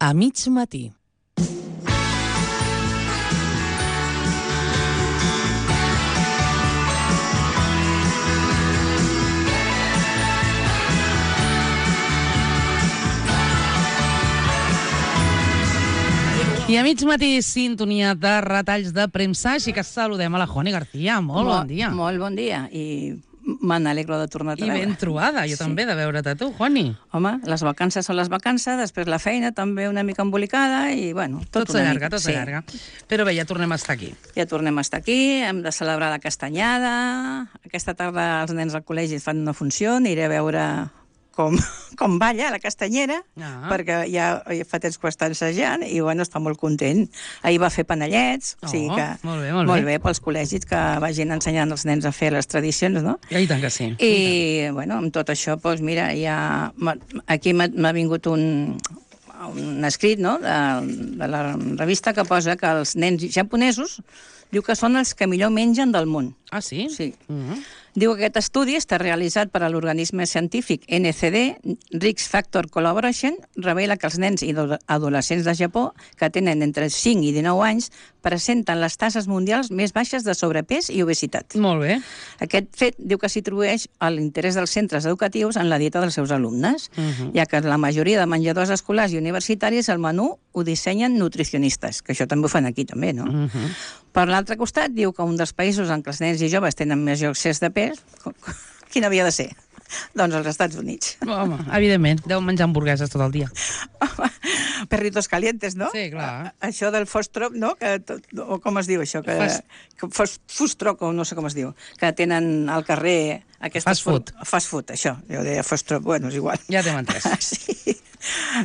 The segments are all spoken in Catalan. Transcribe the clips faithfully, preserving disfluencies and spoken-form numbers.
A mig matí. I a mig matí, sintonia de retalls de premsa, així que saludem a la Juani García. Molt bon dia. Molt bon dia, i me n'alegro de tornar a I ben trobada, jo també, de veure't a tu, Juani. Home, les vacances són les vacances, després la feina també una mica embolicada, i bueno, tot, tot s'allarga, tot s'allarga. Però bé, ja tornem a estar aquí. Ja tornem a estar aquí, hem de celebrar la castanyada. Aquesta tarda els nens al col·legi fan una funció, aniré a veure com, com balla la castanyera, ah. perquè ja, ja fa temps que ho està ensejant i bueno, està molt content. Ahir va fer panellets, oh, o sigui que molt bé, molt bé. molt bé pels col·legis que vagin ensenyant els nens a fer les tradicions, no? Ja, i tant que sí. I, I bueno, amb tot això, doncs mira, ja aquí m'ha vingut un, un escrit, no?, de, de la revista que posa que els nens japonesos diu que són els que millor mengen del món. Ah, sí? Sí. Uh-huh. Diu que aquest estudi està realitzat per a l'organisme científic N C D, Risk Factor Collaboration, revela que els nens i adolescents de Japó, que tenen entre cinc i dinou anys, presenten les tasses mundials més baixes de sobrepès i obesitat. Molt bé. Aquest fet diu que s'atribueix a l'interès dels centres educatius en la dieta dels seus alumnes, uh-huh. ja que la majoria de menjadors escolars i universitaris el menú ho dissenyen nutricionistes, que això també ho fan aquí, també, no? Uh-huh. Per l'altre costat, diu que un dels països en què els nens i joves tenen major excés de pes, quin havia de ser? Doncs als Estats Units. Home, evidentment, deuen menjar hamburgueses tot el dia. Perritos calientes, no? Sí, clar. Això del fostrop, no? Que, o com es diu això? Que, Fast... que fos, fustroc, o no sé com es diu, que tenen al carrer... Fast food. Fast food, això. Jo deia fostrop, bueno, és igual. Ja t'hem entès. Sí.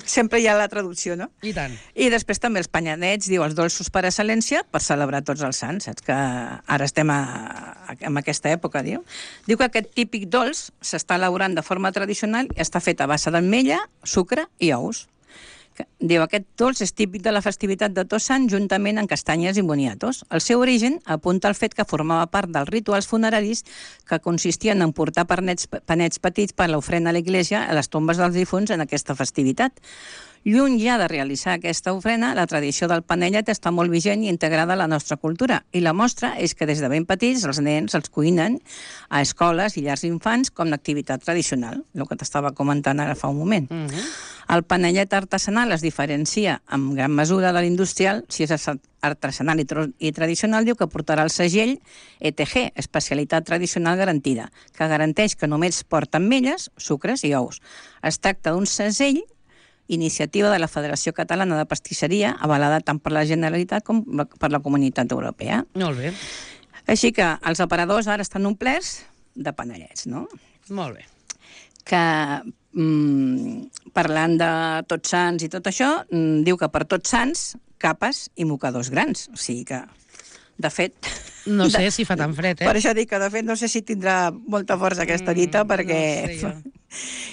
Sempre hi ha la traducció, no? I tant. I després també els panyanets, diu, els dolços per excel·lència, per celebrar tots els sants, saps? Que ara estem a, a, en aquesta època, diu. Diu que aquest típic dolç s'està elaborant de forma tradicional i està fet a base d'ametlla, sucre i ous. Diu, aquest dolç és típic de la festivitat de Tots Sants juntament amb castanyes i boniatos. El seu origen apunta al fet que formava part dels rituals funeraris que consistien en portar panets, panets petits per l'ofrena a l'església a les tombes dels difunts en aquesta festivitat. Lluny ja de realitzar aquesta ofrena, la tradició del panellet està molt vigent i integrada a la nostra cultura. I la mostra és que des de ben petits els nens els cuinen a escoles i llars d'infants com l'activitat tradicional, el que t'estava comentant ara fa un moment. Uh-huh. El panellet artesanal es diferencia en gran mesura de l'industrial, si és artesanal i, i tradicional, diu que portarà el segell E T G, especialitat tradicional garantida, que garanteix que només porta ametlles, sucres i ous. Es tracta d'un segell iniciativa de la Federació Catalana de Pastisseria, avalada tant per la Generalitat com per la Comunitat Europea. Molt bé. Així que els aparadors ara estan omplerts de panellets, no? Molt bé. Que, mm, parlant de Tots Sants i tot això, mm, diu que per Tots Sants, capes i mocadors grans. O sigui que, de fet... No sé de, si fa tan fred, eh? Per això dic que, de fet, no sé si tindrà molta força aquesta dita, mm, perquè... No sé jo.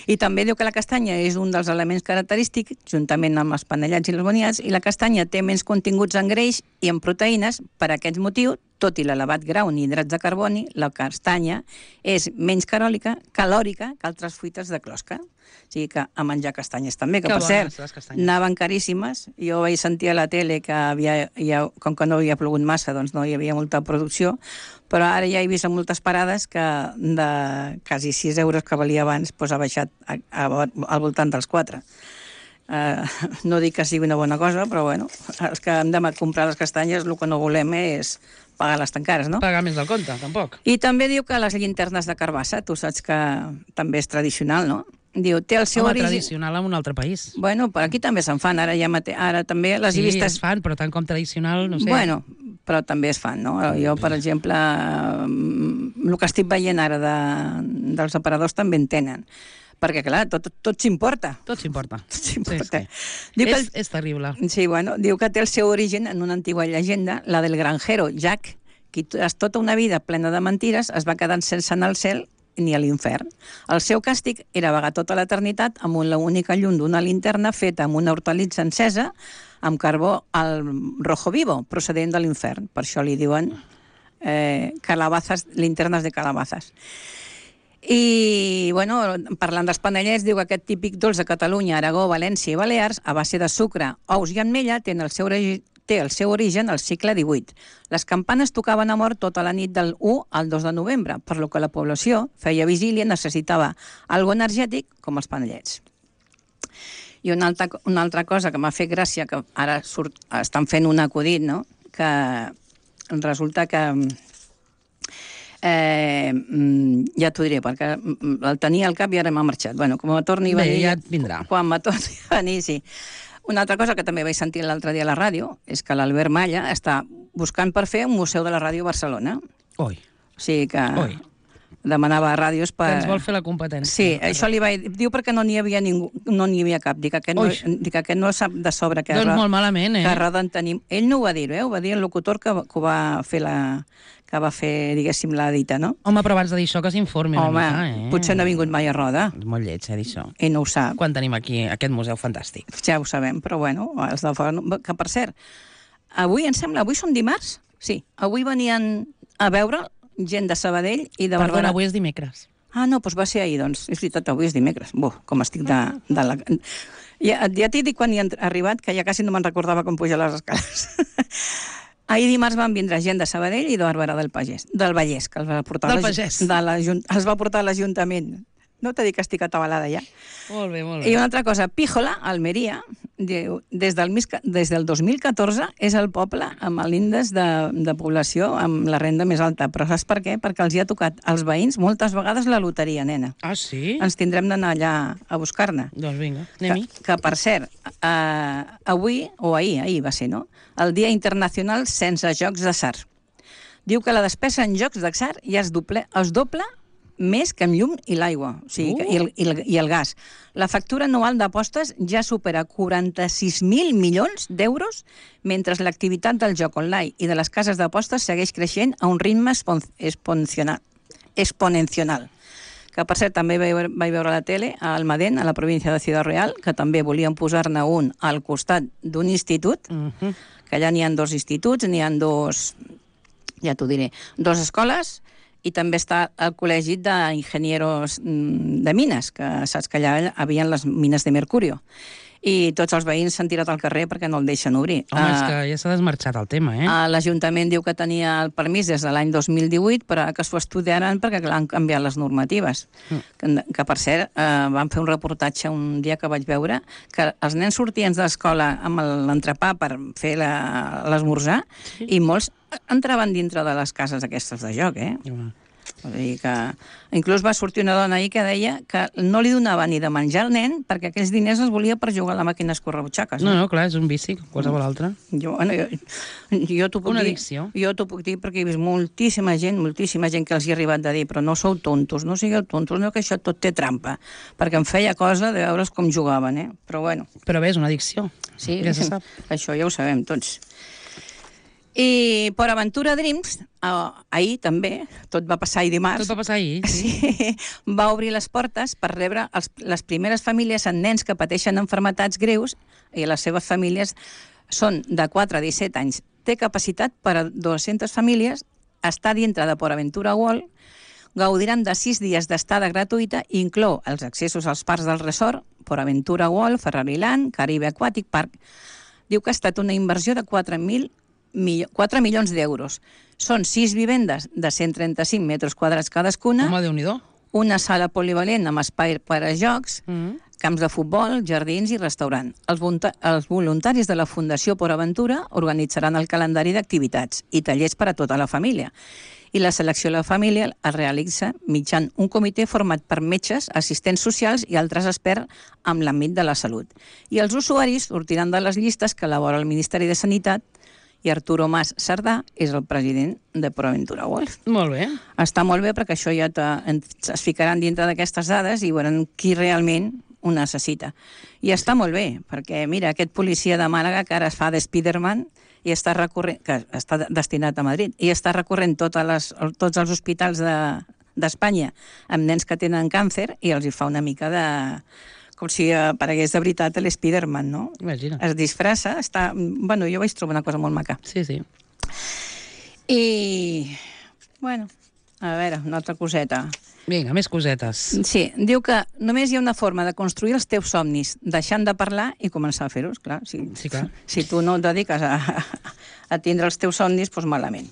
I també diu que la castanya és un dels elements característics, juntament amb els panellets i els boniats, i la castanya té menys continguts en greix i en proteïnes. Per aquest motiu, tot i l'elevat grau en hidrats de carboni, la castanya és menys calòrica, calòrica que altres fruites de closca. O sigui que a menjar castanyes també, que, que per cert, anaven caríssimes. Jo vaig sentir a la tele que havia, ja, com que no havia plogut massa, doncs no hi havia molta producció, però ara ja he vist en moltes parades que de quasi sis euros que valia abans doncs ha baixat a, a, al voltant dels quatre. Uh, no dic que sigui una bona cosa, però bueno, els que hem de comprar les castanyes el que no volem és pagar-les tan cares, no? Pagar més del compte, tampoc. I també diu que les llinternes de carbassa, tu saps que també és tradicional, no? Diu, té el seu Home, origen... tradicional en un altre país. Bueno, però aquí també se'n fan, ara ja mate... ara també les sí, he vistes... es fan, però tant com tradicional, no sé. Bueno, però també es fan, no? Jo, per exemple, el que estic veient ara de, dels aparadors també en tenen. Perquè, clar, tot, tot s'importa. Tot s'importa. Tot s'importa. Sí, sí. És, el... és terrible. Sí, bueno, diu que té el seu origen en una antigua llegenda, la del granjero Jack, que tota una vida plena de mentires es va quedant sense anar al cel ni a l'infern. El seu càstig era vagar tota l'eternitat amb una única llum d'una linterna feta amb una hortalitza encesa amb carbó al rojo vivo, procedent de l'infern. Per això li diuen eh, calabazas, linternes de calabazas. I, bueno, parlant dels panellets, diu que aquest típic dolç de Catalunya, Aragó, València i Balears, a base de sucre, ous i ametlla, té el seu, té el seu origen al segle divuit. Les campanes tocaven a mort tota la nit del u al dos de novembre, per lo que la població feia vigília i necessitava algo energètic com els panellets. I una altra, una altra cosa que m'ha fet gràcia, que ara surt, estan fent un acudit, no?, que resulta que... Eh, ja t'ho diré, perquè el tenia al cap i ara m'ha marxat. Bueno, com me torni a venir... Bé, ja et vindrà. Quan me torni a venir, sí. Una altra cosa que també vaig sentir l'altre dia a la ràdio és que l'Albert Malla està buscant per fer un museu de la ràdio a Barcelona. Oi. O sigui que... Oi. Demanava ràdios per... Que ens vol fer la competència. Sí, això li vaig... Diu perquè no n'hi havia ningú, no n'hi havia cap. Dic que aquest, no, dic que aquest no sap de sobre que... Doncs molt malament, eh? Que roden tenim... Ell no ho va dir, eh? Ho va dir el locutor que, que ho va fer la... que va fer, diguéssim, la dita, no? Home, però abans de dir això que s'informi una Home, mica, eh? potser no ha vingut mai a roda. És molt lleig, eh, dir això. I no ho sap. Quan tenim aquí aquest museu fantàstic. Ja ho sabem, però bueno, els de fora... Que, per cert, avui, em sembla, avui són dimarts? Sí, avui venien a veure gent de Sabadell i de Barberà. Perdona, avui és dimecres. Ah, no, doncs va ser ahir, doncs. És veritat, avui és dimecres. Buh, com estic de... de la... Ja, ja t'he dit quan hi he arribat, que ja quasi no me'n recordava com pujar les escales. Ahir dimarts van vindre gent de Sabadell i de Barberà del Pagès, del Vallès, que els va portar, del Pagès. De la, els va portar a l'Ajuntament. No t'he dit que estic atabalada ja. Molt bé, molt bé. I una altra cosa, Píjola, Almeria, diu, des del, des del dos mil catorze és el poble amb l'índex de, de població amb la renda més alta. Però saps per què? Perquè els hi ha tocat als veïns moltes vegades la loteria, nena. Ah, sí? Ens tindrem d'anar allà a buscar-ne. Doncs vinga, anem-hi. Que, que, per cert, eh, avui, o ahir, ahir va ser, no?, el Dia Internacional sense jocs d'atzar. Diu que la despesa en jocs d'atzar ja es doble, es doble més que amb llum i l'aigua, o sigui, uh. i, el, i, el, i el gas. La factura anual d'apostes ja supera quaranta-sis mil milions d'euros, mentre l'activitat del joc online i de les cases d'apostes segueix creixent a un ritme exponencial. exponencial. Que, per cert, també vaig veure, vaig veure a la tele a Almadén, a la província de Ciudad Real, que també volien posar-ne un al costat d'un institut, uh -huh. que allà n'hi ha dos instituts, n'hi ha dos, ja t'ho diré, dos escoles, i també està el col·legi d'enginyeros de mines, que saps que allà hi havia les mines de mercurio. I tots els veïns s'han tirat al carrer perquè no el deixen obrir. Home, uh, és que ja s'ha desmarxat el tema, eh? Uh, L'Ajuntament diu que tenia el permís des de l'any dos mil divuit, però que s'ho estudiaran perquè clar, han canviat les normatives. Mm. Que, que, per cert, uh, van fer un reportatge un dia que vaig veure que els nens sortien de l'escola amb l'entrepà per fer l'esmorzar, sí. I molts entraven dintre de les cases aquestes de joc, eh? Mm. Vull dir que... Inclús va sortir una dona ahir que deia que no li donava ni de menjar al nen perquè aquells diners els volia per jugar a la màquina escorrebutxaques. No, no, clar, és un vici, qualsevol altre. Jo, bueno, jo, jo t'ho puc Una dir, addicció. Jo t'ho puc dir perquè he vist moltíssima gent, moltíssima gent que els hi ha arribat de dir però no sou tontos, no sigueu tontos, no, que això tot té trampa. Perquè em feia cosa de veure's com jugaven, eh? Però bueno. Però bé, és una addicció. Sí, ja se sap. Això ja ho sabem tots. I per Aventura Dreams, eh, ahir també, tot va passar ahir dimarts... Tot va passar ahir, sí. sí va obrir les portes per rebre els, les primeres famílies amb nens que pateixen enfermetats greus i les seves famílies són de quatre a disset anys. Té capacitat per a dues-centes famílies, està dintre de Port Aventura World, gaudiran de sis dies d'estada gratuïta i inclou els accessos als parcs del resort, Port Aventura World, Ferrariland, Caribe Aquatic Park. Diu que ha estat una inversió de quatre milions d'euros. Són sis vivendes de cent trenta-cinc metres quadrats cadascuna. Home, Déu-n'hi-do. Una sala polivalent amb espai per a jocs, mm -hmm. camps de futbol, jardins i restaurant. Els, els voluntaris de la Fundació Port Aventura organitzaran el calendari d'activitats i tallers per a tota la família. I la selecció de la família es realitza mitjançant un comitè format per metges, assistents socials i altres experts en l'àmbit de la salut. I els usuaris sortiran de les llistes que elabora el Ministeri de Sanitat i Arturo Mas Cerdà és el president de Port Aventura World. Molt bé. Està molt bé perquè això ja es ficaran dintre d'aquestes dades i veuran qui realment ho necessita. I està molt bé, perquè mira, aquest policia de Màlaga que ara es fa de Spiderman i està recorrent, que està destinat a Madrid, i està recorrent totes les, tots els hospitals d'Espanya de, amb nens que tenen càncer i els hi fa una mica de... com si aparegués de veritat l'Spiderman, no? Imagina. Es disfressa, està... Bueno, jo vaig trobar una cosa molt maca. Sí, sí. I... Bueno, a veure, una altra coseta. Vinga, més cosetes. Sí, diu que només hi ha una forma de construir els teus somnis, deixant de parlar i començar a fer-los, clar. Si, Sí, clar. si tu no et dediques a, a tindre els teus somnis, doncs malament.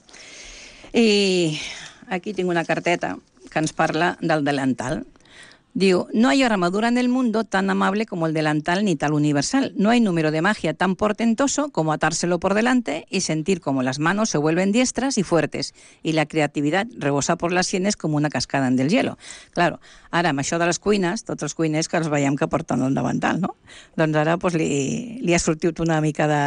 I aquí tinc una carteta que ens parla del delantal. Diu, no hay armadura en el mundo tan amable como el delantal ni tal universal. No hay número de magia tan portentoso como atárselo por delante y sentir como las manos se vuelven diestras y fuertes y la creatividad rebosa por las sienes como una cascada en del hielo. Claro, ara amb això de les cuines, tots els cuiners que els veiem que porten el davantal, no? Doncs ara pues, li, li ha sortit una mica de...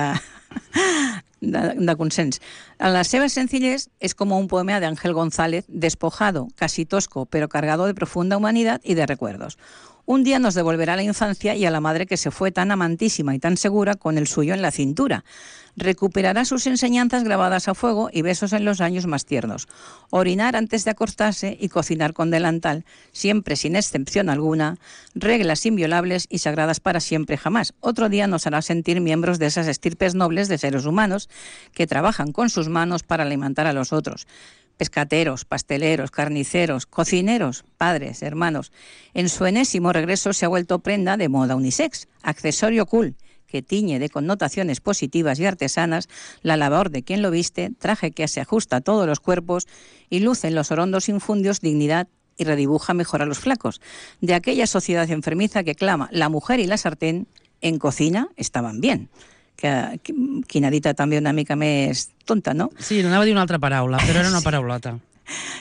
De, de consens. La seva sencillez es como un poema de Ángel González, despojado, casi tosco, pero cargado de profunda humanidad y de recuerdos. Un día nos devolverá a la infancia y a la madre que se fue tan amantísima y tan segura con el suyo en la cintura. Recuperará sus enseñanzas grabadas a fuego y besos en los años más tiernos. Orinar antes de acostarse y cocinar con delantal, siempre sin excepción alguna, reglas inviolables y sagradas para siempre jamás. Otro día nos hará sentir miembros de esas estirpes nobles de seres humanos que trabajan con sus manos para alimentar a los otros. Pescateros, pasteleros, carniceros, cocineros, padres, hermanos. En su enésimo regreso se ha vuelto prenda de moda unisex, accesorio cool, que tiñe de connotaciones positivas y artesanas la labor de quien lo viste, traje que se ajusta a todos los cuerpos y luce en los orondos infundios dignidad y redibuja mejor a los flacos. De aquella sociedad enfermiza que clama la mujer y la sartén en cocina estaban bien. Que, que, quina dita també una mica més tonta, no? Sí, anava a dir una altra paraula, però era una paraulota.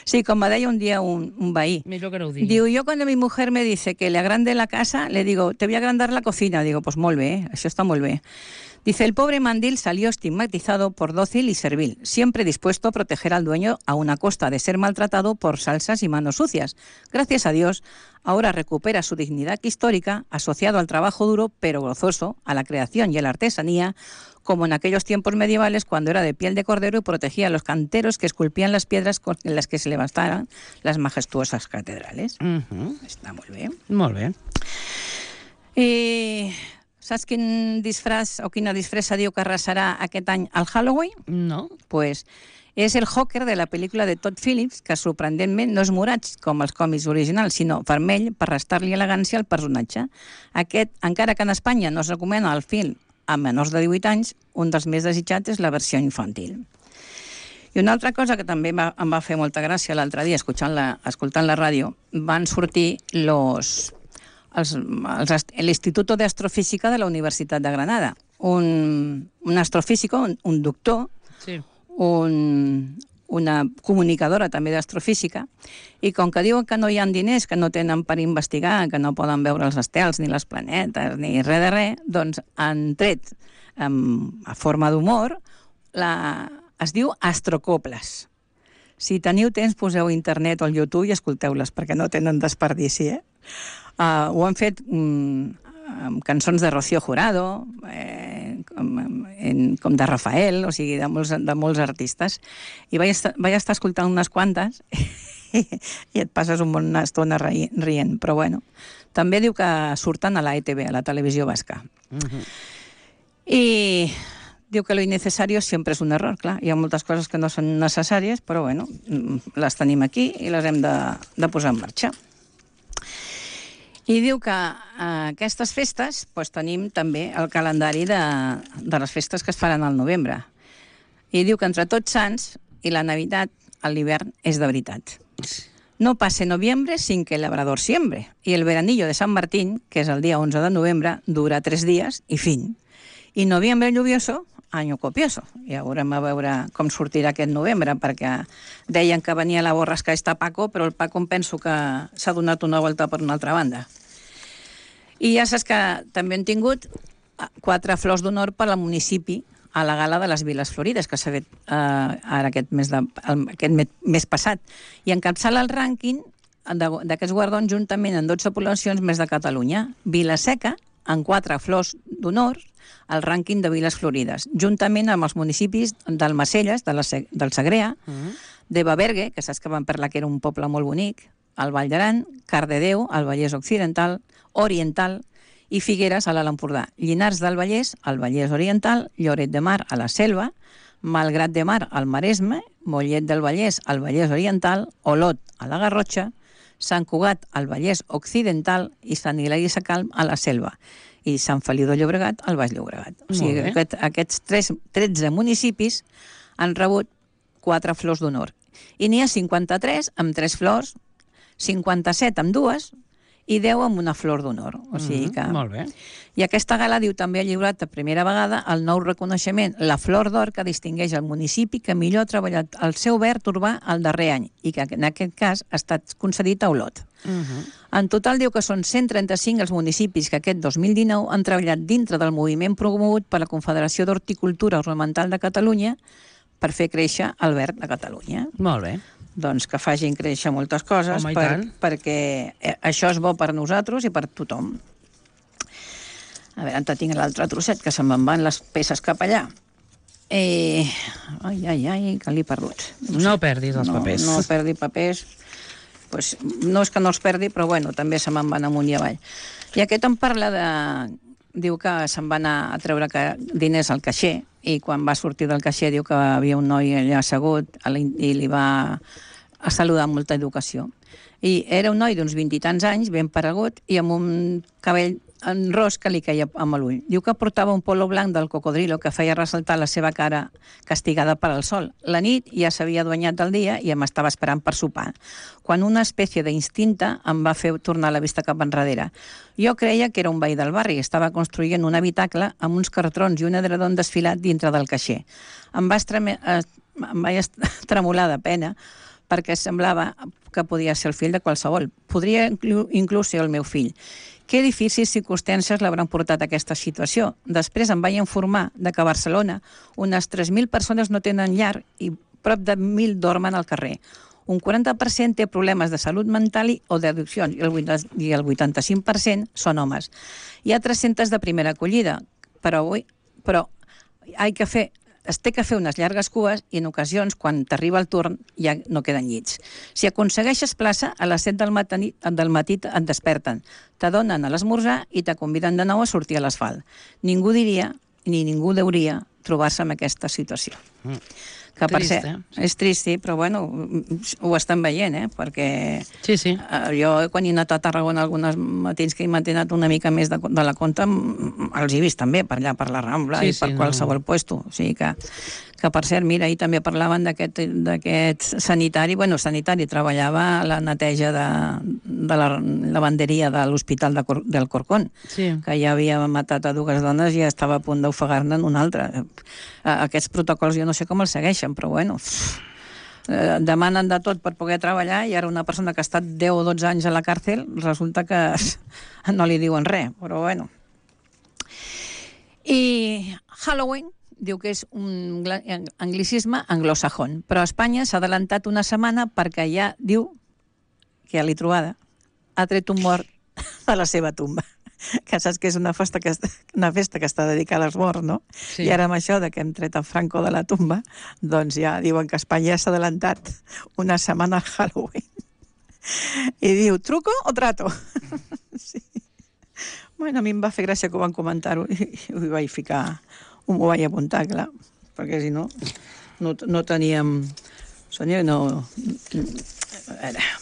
Sí, com me deia un dia un, un veí. Millor que no ho digui. Diu, yo cuando mi mujer me dice que le agrande la casa, le digo, te voy a agrandar la cocina. Digo, pues molt bé, eh? Això està molt bé. Dice, el pobre mandil salió estigmatizado por dócil y servil, siempre dispuesto a proteger al dueño a una costa de ser maltratado por salsas y manos sucias. Gracias a Dios, ahora recupera su dignidad histórica, asociado al trabajo duro pero gozoso, a la creación y a la artesanía, como en aquellos tiempos medievales cuando era de piel de cordero y protegía a los canteros que esculpían las piedras con las que se levantaran las majestuosas catedrales. Uh-huh. Està molt bé. Molt bé. I saps quin disfraç o quina disfressa diu que arrasarà aquest any al Halloween? No. Pues és el Joker de la pel·lícula de Todd Phillips, que sorprenentment no és morat com els còmics originals, sinó vermell per restar-li elegància al personatge. Aquest, encara que en Espanya no es recomana el film a menors de divuit anys, un dels més desitjats és la versió infantil. I una altra cosa que també va, em va fer molta gràcia l'altre dia, escoltant la, escoltant la ràdio, van sortir los, els, els, l'Instituto de Astrofísica de la Universitat de Granada. Un, un astrofísico, un, un doctor, Sí. un, una comunicadora també d'astrofísica, i com que diuen que no hi ha diners, que no tenen per investigar, que no poden veure els estels, ni les planetes, ni res de res, doncs han tret, um, a forma d'humor, la, es diu astrocoples. Si teniu temps, poseu a internet o al YouTube i escolteu-les, perquè no tenen desperdici, eh? Uh, ho han fet um, amb cançons de Rocío Jurado, eh, com, en, com de Rafael, o sigui, de molts, de molts artistes. I vaig estar, vaig estar escoltant unes quantes i, i et passes una bona estona rient. Però bueno, també diu que surten a la E T V, a la televisió basca. Uh-huh. I diu que lo innecesario siempre es un error, clar. Hi ha moltes coses que no són necessàries, però bueno, les tenim aquí i les hem de, de posar en marxa. I diu que a aquestes festes doncs, tenim també el calendari de, de les festes que es faran al novembre. I diu que entre Tots Sants i la Navidad, l'hivern és de veritat. No passe noviembre sin que el labrador siembre. I el veranillo de Sant Martín, que és el dia onze de novembre, dura tres dies i fin. I noviembre lluvioso, año copioso. I haurem a veure com sortirà aquest novembre, perquè deien que venia la borrasca esta Paco, però el Paco em penso que s'ha donat una volta per una altra banda. I ja saps que també han tingut quatre flors d'honor per al municipi a la gala de les Viles Florides, que s'ha fet eh, ara aquest mes, de, aquest mes, mes passat. I encapçala el rànquing d'aquests guardons juntament amb dotze poblacions més de Catalunya. Vilaseca, amb quatre flors d'honor, al rànquing de Viles Florides, juntament amb els municipis d'Almacelles, de la, del Segrea, uh-huh. de Babergue, que saps que van parlar que era un poble molt bonic, el Vall d'Aran, Cardedeu, al Vallès Occidental, Oriental, i Figueres, a l'Alt Empordà. Llinars del Vallès, al Vallès Oriental, Lloret de Mar, a la Selva, Malgrat de Mar, al Maresme, Mollet del Vallès, al Vallès Oriental, Olot, a la Garrotxa, Sant Cugat al Vallès Occidental i Sant Hilari Sacalm a la Selva i Sant Feliu de Llobregat al Baix Llobregat. O sigui, aquest, aquests tres, tretze municipis han rebut quatre flors d'honor. I n'hi ha cinquanta-tres amb tres flors, cinquanta-set amb dues i deu amb una flor d'honor. O sigui que... Mm, molt bé. I aquesta gala, diu, també ha lliurat per primera vegada el nou reconeixement, la Flor d'Or, que distingeix el municipi que millor ha treballat el seu verd urbà el darrer any i que en aquest cas ha estat concedit a Olot. Uh -huh. En total diu que són cent trenta-cinc els municipis que aquest dos mil dinou han treballat dintre del moviment promogut per la Confederació d'Horticultura Ornamental de Catalunya per fer créixer el verd de Catalunya. Molt bé. Doncs que facin créixer moltes coses. Home, per, perquè això és bo per nosaltres i per tothom. A veure, on tinc l'altre trosset, que se'm van les peces cap allà. Eh... Ai, ai, ai, que l'he perdut. No, no perdis els no, papers. No perdi papers. Pues, no és que no els perdi, però bueno, també se me'n van amunt i avall. I aquest em parla de... Diu que se'n va anar a treure diners al caixer i quan va sortir del caixer diu que havia un noi allà assegut i li va a saludar amb molta educació. I era un noi d'uns vint i tants anys, ben paregut, i amb un cabell en ros que li caia amb l'ull. Diu que portava un polo blanc del cocodrilo que feia ressaltar la seva cara castigada per al sol. La nit ja s'havia aduanyat del dia i em estava esperant per sopar, quan una espècie d'instinta em va fer tornar la vista cap enrere. Jo creia que era un veí del barri, estava construint un habitacle amb uns cartrons i un edredon desfilat dintre del caixer. Em va, estreme... em va tremolar de pena perquè semblava que podia ser el fill de qualsevol. Podria inclús ser el meu fill. Que difícils circumstàncies l'hauran portat a aquesta situació. Després em vaig informar de que a Barcelona unes tres mil persones no tenen llar i prop de mil dormen al carrer. Un quaranta per cent té problemes de salut mental i, o d'addiccions i el vuitanta-cinc per cent són homes. Hi ha tres-centes de primera acollida, però, avui, però hay que fer, es té que fer unes llargues cues i en ocasions, quan t'arriba el torn, ja no queden llits. Si aconsegueixes plaça, a les set del matí, del matí et desperten, t'adonen a l'esmorzar i te conviden de nou a sortir a l'asfalt. Ningú diria, ni ningú deuria, trobar-se en aquesta situació. Mm. Que per trist, ser, eh? és trist, sí, però bueno, ho estan veient, eh? Perquè sí, sí. Eh, jo, quan he anat a Tarragona algunes matins que he mantinat una mica més de, de la compta, els he vist també per allà, per la Rambla sí, i per sí, qualsevol no. puesto. O sigui que, que, per cert, mira, ahir també parlaven d'aquest sanitari, bueno, sanitari, treballava a la neteja de, de la lavanderia de l'Hospital de Cor, del Corcón, sí. que ja havia matat a dues dones i estava a punt d'ofegar-ne en una altra. Aquests protocols jo no sé com els segueixen, però bueno, eh, demanen de tot per poder treballar i ara una persona que ha estat deu o dotze anys a la càrcel resulta que no li diuen res, però bueno. I Halloween diu que és un anglicisme anglosajón, però a Espanya s'ha adelantat una setmana perquè ja diu que a la trobada ha tret un mort a la seva tumba. Que saps que és una festa que, una festa que està dedicada als morts, no? Sí. I ara amb això de que hem tret a Franco de la tumba, doncs ja diuen que Espanya s'ha adelantat una setmana al Halloween. I diu, truco o trato? Sí. Bueno, a mi em va fer gràcia que ho van comentar-ho i ho vaig ficar, ho vaig apuntar, clar, perquè si no, no, no teníem... Sònia, no... A veure...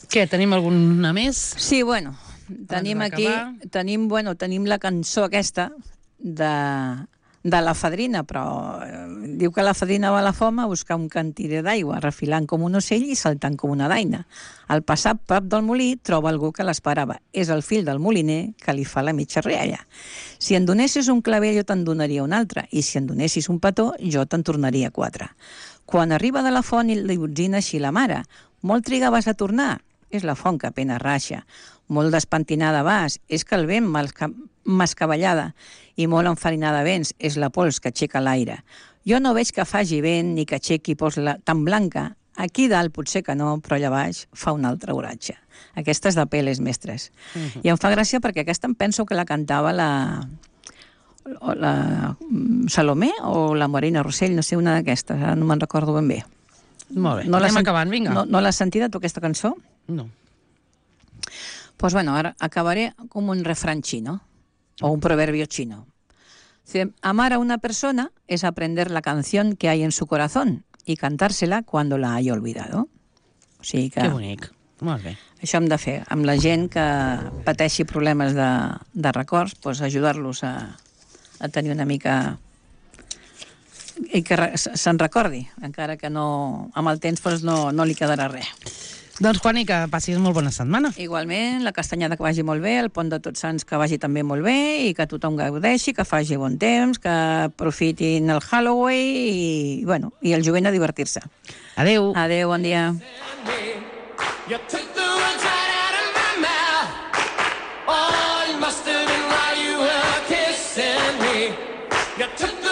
Què, tenim alguna més? Sí, bueno... Tenim aquí, tenim, bueno, tenim la cançó aquesta de, de la fadrina, però eh, diu que la fadrina va a la foma a buscar un cantirer d'aigua, refilant com un ocell i saltant com una daina. Al passar prop del molí troba algú que l'esperava. És el fill del moliner que li fa la mitja rialla. Si en donessis un clavell jo te'n donaria un altre, i si en donessis un petó jo te'n tornaria quatre. Quan arriba de la font li botzina així la mare. Molt trigaves a tornar? És la font que apenas raixa. Molt despentinada vas, és que el vent m'escavallada, i molt enfarinada vens, és la pols que aixeca l'aire. Jo no veig que faci vent ni que aixequi pols tan blanca. Aquí dalt potser que no, però allà baix fa un altre oratge. Aquesta és de Peles Mestres. Uh-huh. I em fa gràcia perquè aquesta em penso que la cantava la, la Salomé o la Morena Rossell, no sé, una d'aquestes, ara no me'n recordo ben bé. Molt bé, no anem acabant, vinga. No, no l'has sentida, tu, aquesta cançó? No. Pues bueno, ahora acabaré como un refrán chino o un proverbio chino. Dice, amar a una persona es aprender la canción que hay en su corazón y cantársela cuando la haya olvidado. O sigui que... Que bonic. Molt bé. Això hem de fer. Amb la gent que pateixi problemes de, de records, doncs ajudar-los a, a tenir una mica... i que se'n recordi, encara que no, amb el temps doncs no, no li quedarà res. Doncs, Juani, que passis molt bona setmana. Igualment, la castanyada que vagi molt bé, el pont de Tots Sants que vagi també molt bé i que tothom gaudeixi, que faci bon temps, que aprofitin el Halloween i, bueno, i el jovent a divertir-se. Adéu. Adéu, bon dia. You took the words right out of my mouth. Oh, it must have been while you were kissing me. You took the